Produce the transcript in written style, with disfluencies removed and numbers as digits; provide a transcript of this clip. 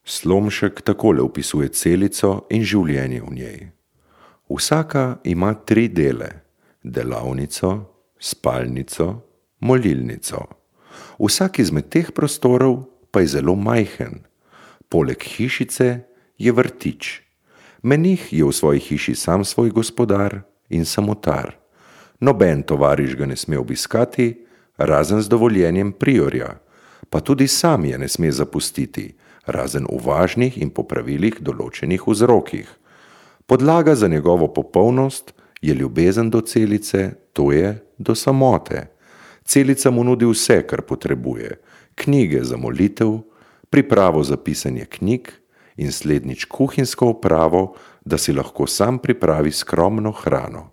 Slomšek takole opisuje celico in življenje v njej. Vsaka ima 3 dele: delavnico, spalnico, molilnico. Vsak izmed teh prostorov pa je zelo majhen. Poleg hišice je vrtič. Menih je v svoji hiši sam svoj gospodar in samotar. Noben tovariš ga ne sme obiskati, razen z dovoljenjem priorja, pa tudi sam je ne sme zapustiti, razen v važnih in po pravilih določenih vzrokih. Podlaga za njegovo popolnost je ljubezen do celice, to je do samote. Celica mu nudi vse, kar potrebuje: knjige za molitev, pripravo za pisanje knjig in slednjič kuhinjsko opravo, da si lahko sam pripravi skromno hrano.